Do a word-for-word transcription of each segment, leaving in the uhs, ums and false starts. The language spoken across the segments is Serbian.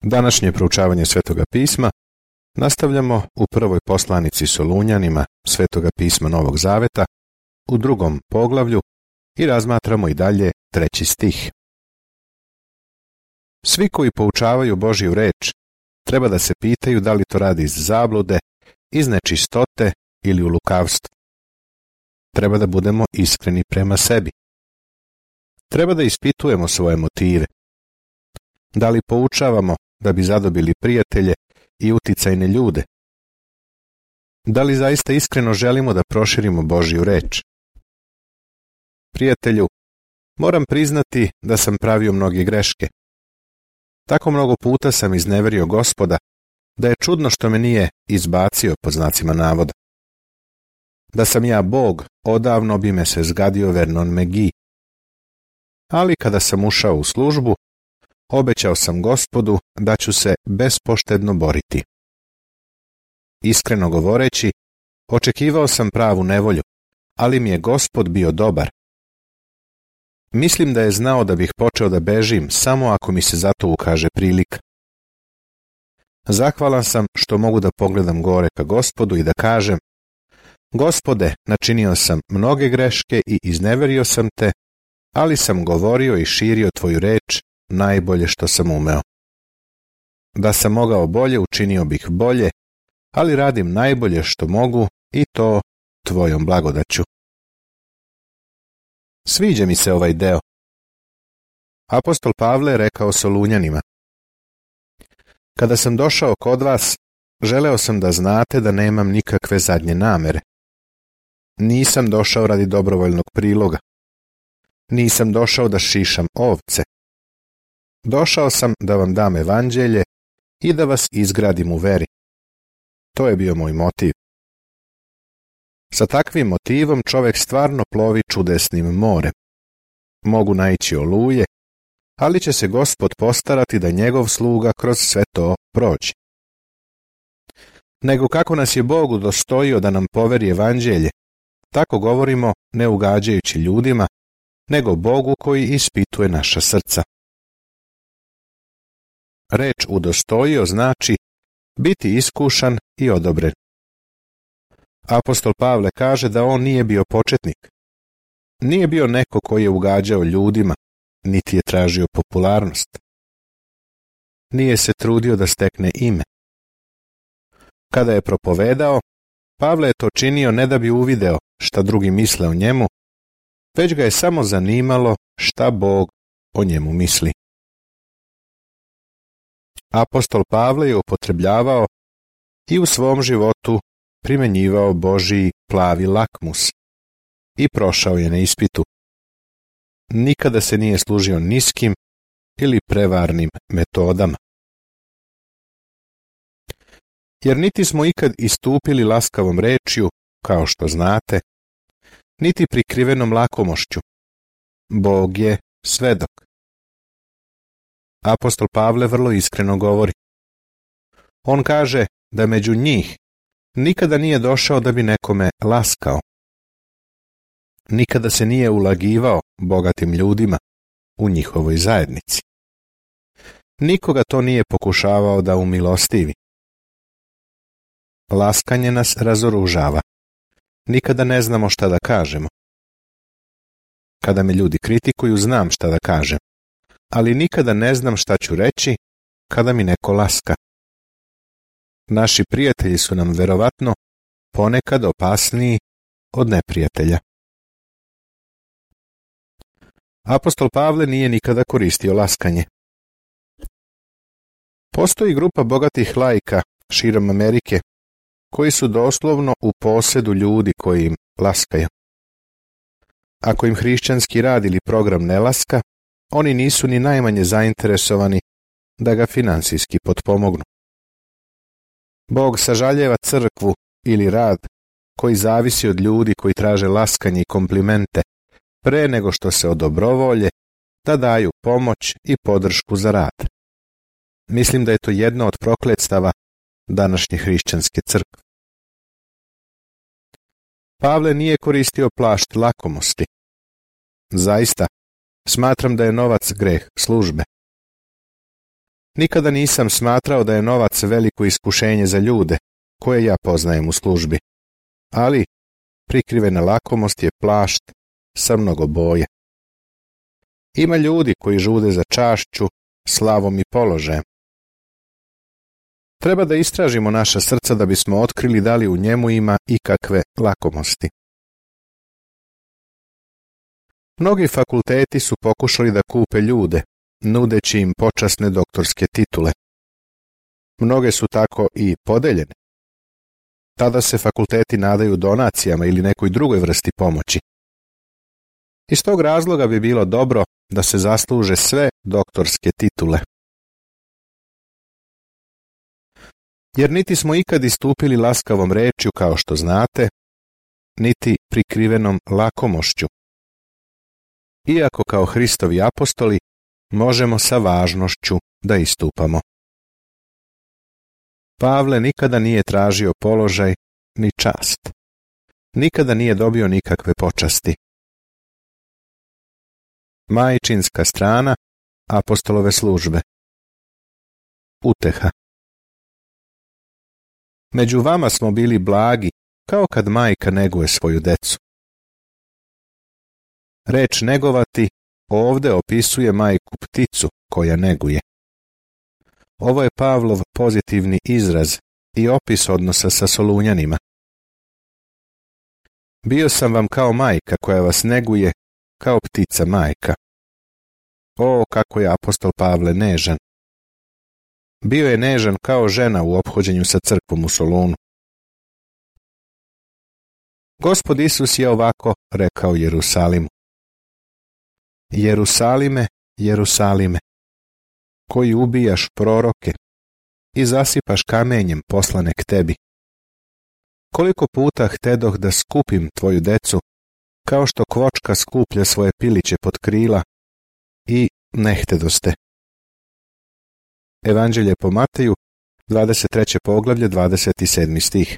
Današnje proučavanje Svetoga pisma nastavljamo u prvoj poslanici Solunjanima Svetoga pisma Novog Zaveta u drugom poglavlju i razmatramo i dalje treći stih. Svi koji poučavaju Božju reč treba da se pitaju da li to radi iz zablude, iz nečistote ili u lukavstvu. Treba da budemo iskreni prema sebi. Treba da ispitujemo svoje motive. Da li poučavamo da bi zadobili prijatelje i uticajne ljude? Da li zaista iskreno želimo da proširimo Božju reč? Prijatelju, moram priznati da sam pravio mnoge greške. Tako mnogo puta sam izneverio Gospoda da je čudno što me nije izbacio pod znacima navoda. Da sam ja Bog, odavno bi me se zgadio Vernon McGee. Ali kada sam ušao u službu, obećao sam Gospodu da ću se bespoštedno boriti. Iskreno govoreći, očekivao sam pravu nevolju, ali mi je Gospod bio dobar. Mislim da je znao da bih počeo da bežim samo ako mi se za to ukaže prilika. Zahvalan sam što mogu da pogledam gore ka Gospodu i da kažem: Gospode, načinio sam mnoge greške i izneverio sam te, ali sam govorio i širio tvoju reč najbolje što sam umeo. Da sam mogao bolje, učinio bih bolje, ali radim najbolje što mogu i to tvojom blagodaću. Sviđa mi se ovaj deo. Apostol Pavle je rekao Solunjanima: Kada sam došao kod vas, želeo sam da znate da nemam nikakve zadnje namere. Nisam došao radi dobrovoljnog priloga. Nisam došao da šišam ovce. Došao sam da vam dam evanđelje i da vas izgradim u veri. To je bio moj motiv. Sa takvim motivom čovjek stvarno plovi čudesnim morem. Mogu naići oluje, ali će se Gospod postarati da njegov sluga kroz sve to prođe. Nego kako nas je Bog udostojio da nam poveri evanđelje, tako govorimo ne ugađajući ljudima, nego Bogu koji ispituje naša srca. Reč udostojio znači biti iskušan i odobren. Apostol Pavle kaže da on nije bio početnik. Nije bio neko koji je ugađao ljudima, niti je tražio popularnost. Nije se trudio da stekne ime. Kada je propovedao, Pavle je to činio ne da bi uvideo šta drugi misle o njemu, već ga je samo zanimalo šta Bog o njemu misli. Apostol Pavle je upotrebljavao i u svom životu primenjivao Božji plavi lakmus i prošao je na ispitu. Nikada se nije služio niskim ili prevarnim metodama. Jer niti smo ikad istupili laskavom rečju, kao što znate, niti prikrivenom lakomošću. Bog je svedok. Apostol Pavle vrlo iskreno govori. On kaže da među njih nikada nije došao da bi nekome laskao. Nikada se nije ulagivao bogatim ljudima u njihovoj zajednici. Nikoga to nije pokušavao da umilostivi. Laskanje nas razoružava. Nikada ne znamo šta da kažemo. Kada me ljudi kritikuju, znam šta da kažem, ali nikada ne znam šta ću reći kada mi neko laska. Naši prijatelji su nam verovatno ponekad opasniji od neprijatelja. Apostol Pavle nije nikada koristio laskanje. Postoji grupa bogatih laika širom Amerike koji su doslovno u posedu ljudi koji im laskaju. Ako im hrišćanski rad ili program ne laska, oni nisu ni najmanje zainteresovani da ga finansijski potpomognu. Bog sažaljeva crkvu ili rad koji zavisi od ljudi koji traže laskanje i komplimente pre nego što se odobrovolje da daju pomoć i podršku za rad. Mislim da je to jedno od prokletstava današnje hrišćanske crkve. Pavle nije koristio plašt lakomosti. Zaista, smatram da je novac greh službe. Nikada nisam smatrao da je novac veliko iskušenje za ljude, koje ja poznajem u službi, ali prikrivena lakomost je plašt sa mnogo boje. Ima ljudi koji žude za čašću, slavom i položajem. Treba da istražimo naša srca da bismo otkrili da li u njemu ima ikakve lakomosti. Mnogi fakulteti su pokušali da kupe ljude, nudeći im počasne doktorske titule. Mnoge su tako i podeljene. Tada se fakulteti nadaju donacijama ili nekoj drugoj vrsti pomoći. Iz tog razloga bi bilo dobro da se zasluže sve doktorske titule. Jer niti smo ikad istupili laskavom rečju, kao što znate, niti prikrivenom lakomošću. Iako kao Hristovi apostoli možemo sa važnošću da istupamo. Pavle nikada nije tražio položaj ni čast. Nikada nije dobio nikakve počasti. Majčinska strana apostolove službe. Uteha. Među vama smo bili blagi, kao kad majka neguje svoju decu. Reč negovati ovde opisuje majku pticu koja neguje. Ovo je Pavlov pozitivni izraz i opis odnosa sa Solunjanima. Bio sam vam kao majka koja vas neguje, kao ptica majka. O, kako je apostol Pavle nežan. Bio je nežan kao žena u ophođenju sa crkvom u Solunu. Gospod Isus je ovako rekao Jerusalimu. Jerusalime, Jerusalime, koji ubijaš proroke i zasipaš kamenjem poslane k tebi. Koliko puta htedoh da skupim tvoju decu, kao što kvočka skuplja svoje piliće pod krila, i ne htedoste. Evanđelje po Mateju, dvadeset treće poglavlje, dvadeset sedmi stih.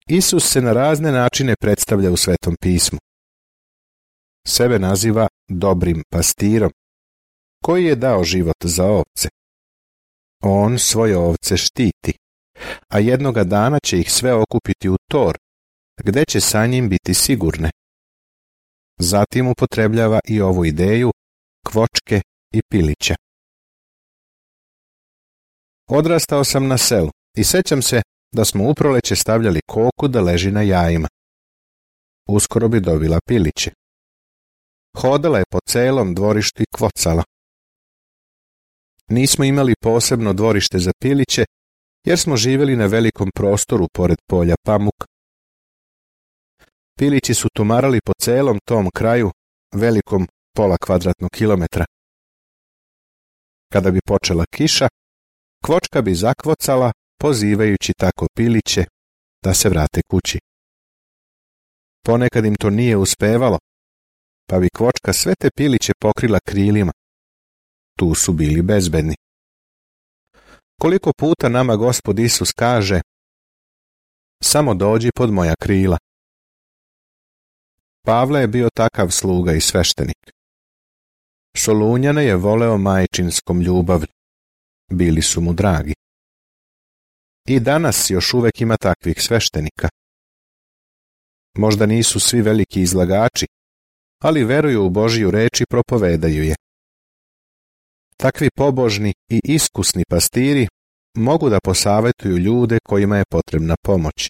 Isus se na razne načine predstavlja u Svetom pismu. Sebe naziva dobrim pastirom, koji je dao život za ovce. On svoje ovce štiti, a jednoga dana će ih sve okupiti u tor, gde će sa njim biti sigurne. Zatim upotrebljava i ovu ideju kvočke i pilića. Odrastao sam na selu i sećam se da smo u proleće stavljali koku da leži na jajima. Uskoro bi dobila piliće. Hodala je po celom dvorištu i kvocala. Nismo imali posebno dvorište za piliće, jer smo živjeli na velikom prostoru pored polja pamuk. Pilići su tumarali po celom tom kraju, velikom pola kvadratnog kilometra. Kada bi počela kiša, kvočka bi zakvocala, pozivajući tako piliće da se vrate kući. Ponekad im to nije uspevalo, pa bi kvočka sve te piliće pokrila krilima. Tu su bili bezbedni. Koliko puta nama Gospod Isus kaže: samo dođi pod moja krila. Pavle je bio takav sluga i sveštenik. Solunjane je voleo majčinskom ljubavlju. Bili su mu dragi. I danas još uvek ima takvih sveštenika. Možda nisu svi veliki izlagači, ali veruju u Božiju reč i propovedaju je. Takvi pobožni i iskusni pastiri mogu da posavetuju ljude kojima je potrebna pomoć.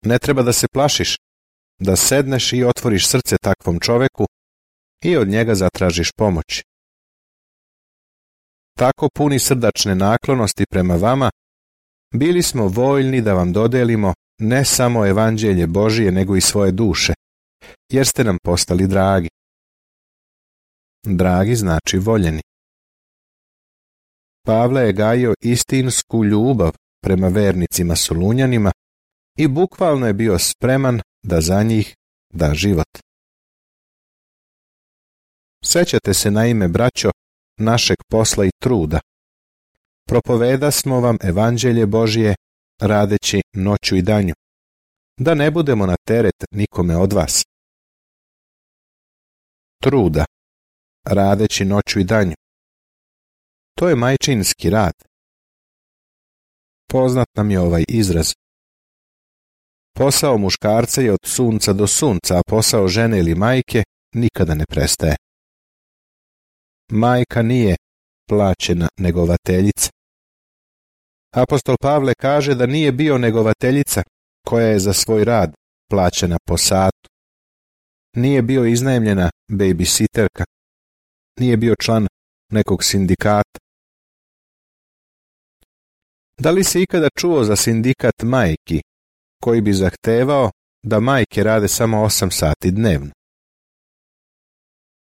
Ne treba da se plašiš, da sedneš i otvoriš srce takvom čoveku i od njega zatražiš pomoć. Tako puni srdačne naklonosti prema vama, bili smo voljni da vam dodelimo ne samo evanđelje Božije, nego i svoje duše, jer ste nam postali dragi. Dragi znači voljeni. Pavle je gajio istinsku ljubav prema vernicima Solunjanima i bukvalno je bio spreman da za njih da život. Sećate se naime, braćo, našeg posla i truda. Propoveda smo vam evanđelje Božije radeći noću i danju, da ne budemo na teret nikome od vas. Truda, radeći noću i danju. To je majčinski rad. Poznat nam je ovaj izraz. Posao muškarca je od sunca do sunca, a posao žene ili majke nikada ne prestaje. Majka nije plaćena negovateljica. Apostol Pavle kaže da nije bio negovateljica koja je za svoj rad plaćena po satu. Nije bio iznajmljena babysitterka. Nije bio član nekog sindikata. Da li si ikada čuo za sindikat majki koji bi zahtevao da majke rade samo osam sati dnevno?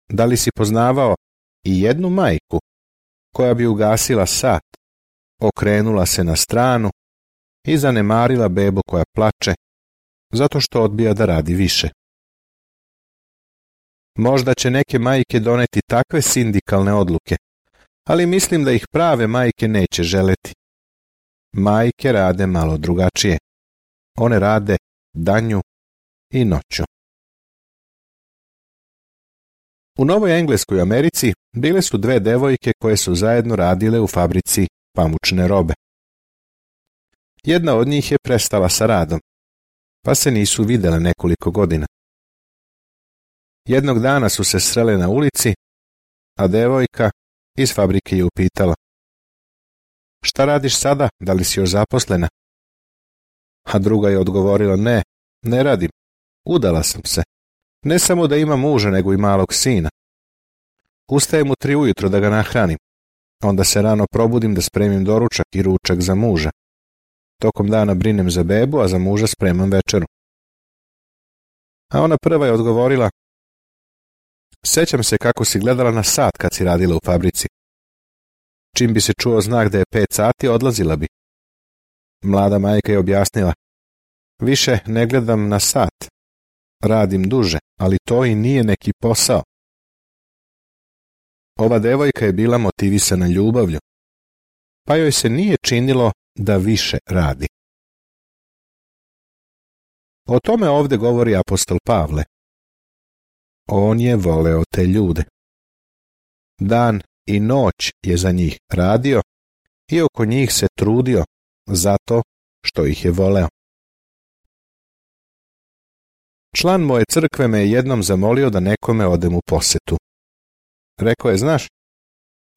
Da li si poznavao i jednu majku koja bi ugasila sat, okrenula se na stranu i zanemarila bebu koja plače zato što odbija da radi više? Možda će neke majke doneti takve sindikalne odluke, ali mislim da ih prave majke neće želeti. Majke rade malo drugačije. One rade danju i noću. U Novoj Engleskoj Americi bile su dve devojke koje su zajedno radile u fabrici pamučne robe. Jedna od njih je prestala sa radom, pa se nisu vidjele nekoliko godina. Jednog dana su se srele na ulici, a devojka iz fabrike je upitala: "Šta radiš sada, da li si još zaposlena?" A druga je odgovorila: "Ne, ne radim, udala sam se. Ne samo da imam muža, nego i malog sina. Ustajem u tri ujutro da ga nahranim. Onda se rano probudim da spremim doručak i ručak za muža. Tokom dana brinem za bebu, a za muža spremam večeru." A ona prva je odgovorila: "Sećam se kako si gledala na sat kad si radila u fabrici. Čim bi se čuo znak da je pet sati, odlazila bi." Mlada majka je objasnila: "Više ne gledam na sat. Radim duže, ali to i nije neki posao." Ova devojka je bila motivisana ljubavlju, pa joj se nije činilo da više radi. O tome ovdje govori apostol Pavle. On je voleo te ljude. Dan i noć je za njih radio i oko njih se trudio zato što ih je voleo. Član moje crkve me je jednom zamolio da nekome odem u posetu. Rekao je: "Znaš,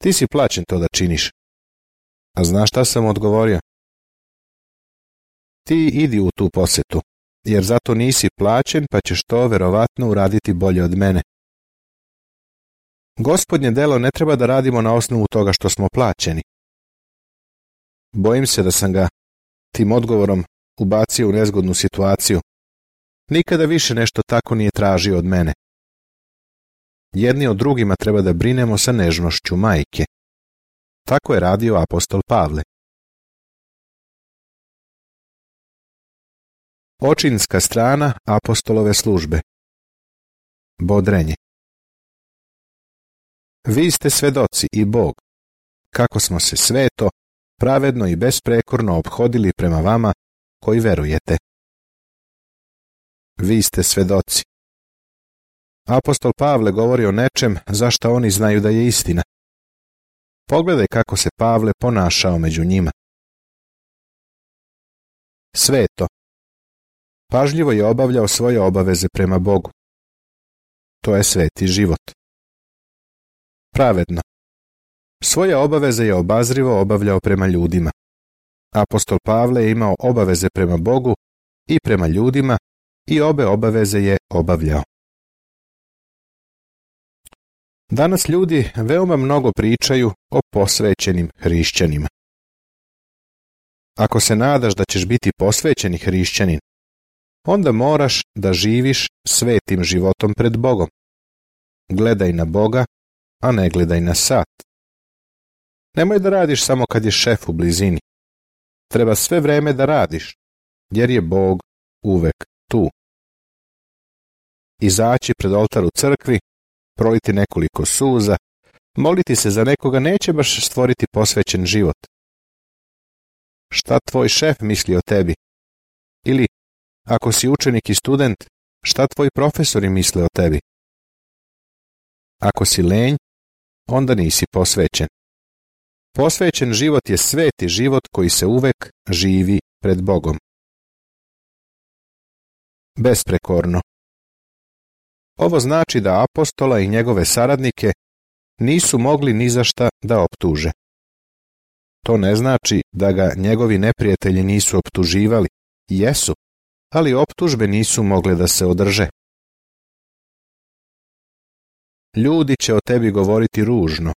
ti si plaćen to da činiš." A znaš šta sam odgovorio? "Ti idi u tu posetu, jer zato nisi plaćen, pa ćeš to verovatno uraditi bolje od mene." Gospodnje delo ne treba da radimo na osnovu toga što smo plaćeni. Bojim se da sam ga tim odgovorom ubacio u nezgodnu situaciju. Nikada više nešto tako nije tražio od mene. Jedni od drugima treba da brinemo sa nežnošću majke. Tako je radio apostol Pavle. Očinska strana apostolove službe. Bodrenje. Vi ste svedoci i Bog, kako smo se sveto, pravedno i besprekorno ophodili prema vama koji verujete. Vi ste svedoci. Apostol Pavle govori o nečem za šta oni znaju da je istina. Pogledaj kako se Pavle ponašao među njima. Sveto. Pažljivo je obavljao svoje obaveze prema Bogu. To je sveti život. Pravedno. Svoje obaveze je obazrivo obavljao prema ljudima. Apostol Pavle je imao obaveze prema Bogu i prema ljudima i obe obaveze je obavljao. Danas ljudi veoma mnogo pričaju o posvećenim hrišćanima. Ako se nadaš da ćeš biti posvećeni hrišćanin, onda moraš da živiš svetim životom pred Bogom. Gledaj na Boga, a ne gledaj na sat. Nemoj da radiš samo kad je šef u blizini. Treba sve vreme da radiš, jer je Bog uvek tu. Izaći pred oltar u crkvi, proliti nekoliko suza, moliti se za nekoga neće baš stvoriti posvećen život. Šta tvoj šef misli o tebi? Ili, ako si učenik i student, šta tvoji profesori misle o tebi? Ako si lenj, onda nisi posvećen. Posvećen život je sveti život koji se uvek živi pred Bogom. Besprekorno. Ovo znači da apostola i njegove saradnike nisu mogli ni za šta da optuže. To ne znači da ga njegovi neprijatelji nisu optuživali, jesu, ali optužbe nisu mogle da se održe. Ljudi će o tebi govoriti ružno,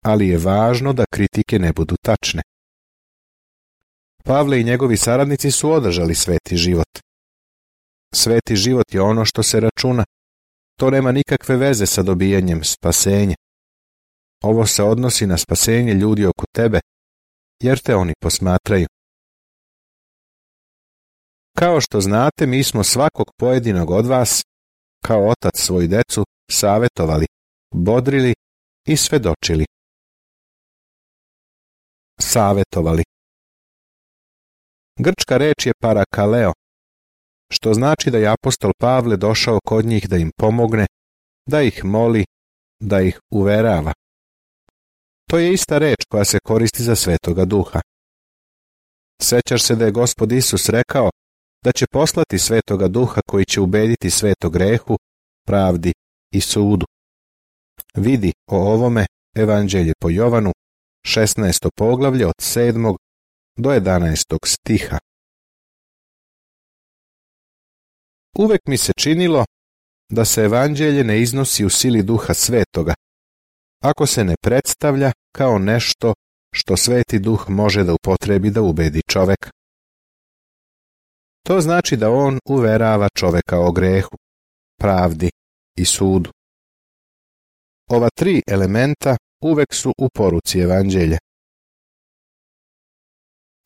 ali je važno da kritike ne budu tačne. Pavle i njegovi saradnici su održali sveti život. Sveti život je ono što se računa. To nema nikakve veze sa dobijanjem spasenja. Ovo se odnosi na spasenje ljudi oko tebe, jer te oni posmatraju. Kao što znate, mi smo svakog pojedinog od vas, kao otac svoju decu, savetovali, bodrili i svedočili. Savetovali. Grčka reč je parakaleo, što znači da je apostol Pavle došao kod njih da im pomogne, da ih moli, da ih uverava. To je ista reč koja se koristi za Svetoga Duha. Sećaš se da je Gospod Isus rekao da će poslati Svetoga Duha koji će ubediti svet o grehu, pravdi i sudu. Vidi o ovome Evanđelje po Jovanu, šesnaesto poglavlje od sedmog do jedanaestog stiha. Uvek mi se činilo da se Evanđelje ne iznosi u sili Duha Svetoga, ako se ne predstavlja kao nešto što Sveti Duh može da upotrebi da ubedi čoveka. To znači da on uverava čoveka o grehu, pravdi i sudu. Ova tri elementa uvek su u poruci Evanđelja.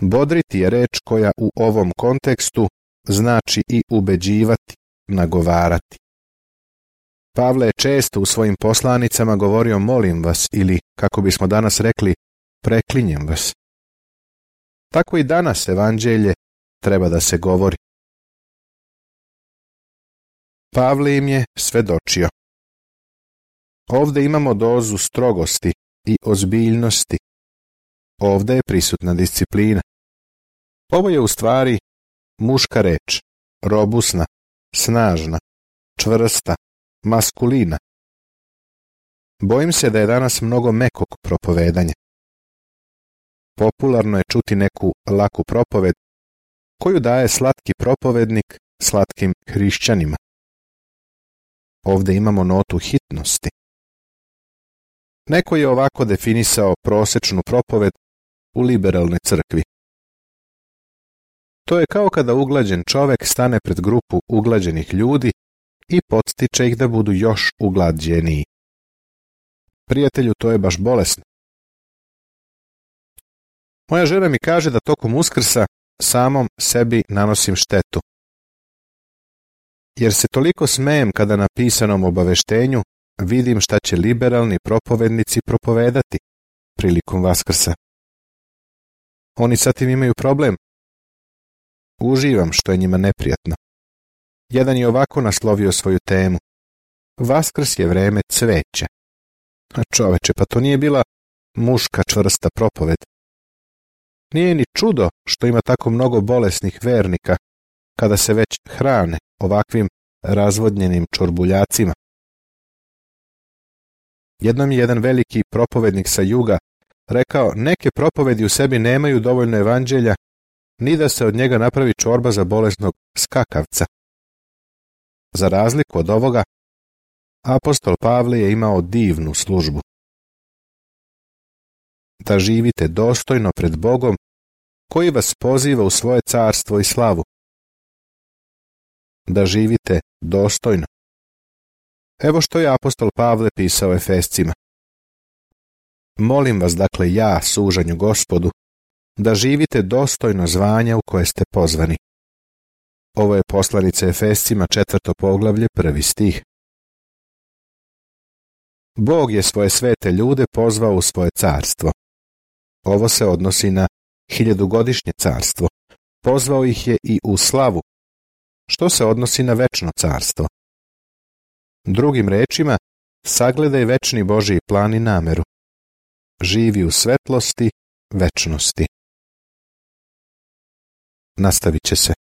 Bodriti je reč koja u ovom kontekstu znači i ubeđivati, nagovarati. Pavle je često u svojim poslanicama govorio molim vas ili, kako bismo danas rekli, preklinjem vas. Tako i danas Evanđelje treba da se govori. Pavle im je svedočio. Ovde imamo dozu strogosti i ozbiljnosti. Ovde je prisutna disciplina. Ovo je u stvari muška reč, robusna, snažna, čvrsta, maskulina. Bojim se da je danas mnogo mekog propovedanja. Popularno je čuti neku laku propoved koju daje slatki propovednik slatkim hrišćanima. Ovde imamo notu hitnosti. Neko je ovako definisao prosečnu propoved u liberalnoj crkvi. To je kao kada uglađen čovek stane pred grupu uglađenih ljudi i podstiče ih da budu još uglađeniji. Prijatelju, to je baš bolesno. Moja žena mi kaže da tokom Uskrsa samom sebi nanosim štetu. Jer se toliko smejem kada na pisanom obaveštenju vidim šta će liberalni propovednici propovedati prilikom Vaskrsa. Oni sa tim imaju problem. Uživam što je njima neprijatno. Jedan je ovako naslovio svoju temu. Vaskrs je vreme cveća. A čoveče, pa to nije bila muška čvrsta propoved. Nije ni čudo što ima tako mnogo bolesnih vernika kada se već hrane ovakvim razvodnjenim čorbuljacima. Jednom je jedan veliki propovednik sa juga rekao, neke propovedi u sebi nemaju dovoljno evanđelja, ni da se od njega napravi čorba za bolesnog skakavca. Za razliku od ovoga, apostol Pavle je imao divnu službu. Da živite dostojno pred Bogom, koji vas poziva u svoje carstvo i slavu. Da živite dostojno. Evo što je apostol Pavle pisao Efescima. Molim vas, dakle, ja, sužanju Gospodu, da živite dostojno zvanja u koje ste pozvani. Ovo je poslanica Efescima, četvrto poglavlje, prvi stih. Bog je svoje svete ljude pozvao u svoje carstvo. Ovo se odnosi na hiljadugodišnje carstvo. Pozvao ih je i u slavu, što se odnosi na večno carstvo. Drugim rečima, sagledaj večni Božji plan i nameru. živi u svetlosti večnosti. Nastavit će se.